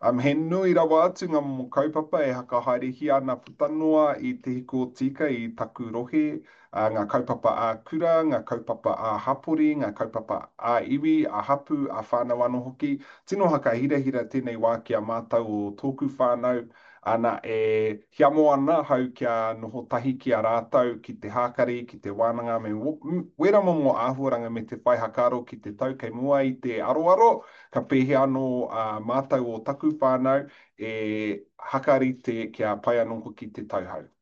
Um, he nui rawa atu ngā momo kaupapa e hakahaerehia ana puta noa i Te Hiku o Tika i taku rohe, ā, ngā kaupapa ā-kura, ngā kaupapa ā-hapori, ngā kaupapa ā-iwi, ā-hapū, ā-whānau anō hoki. Tino hakahirahira tēnei wā ki a mātou o tōku whānau, ana, e hiamo ana ahau kia noho tahi ki a rātou ki te hākari, ki te wānanga me wērā momo āhuaranga me te whai hakaaro ki te tau kei mua i te aroaro, ka pēhea anō ā mātou o taku whānau e hakarite kia pai anō hoki te tauhou.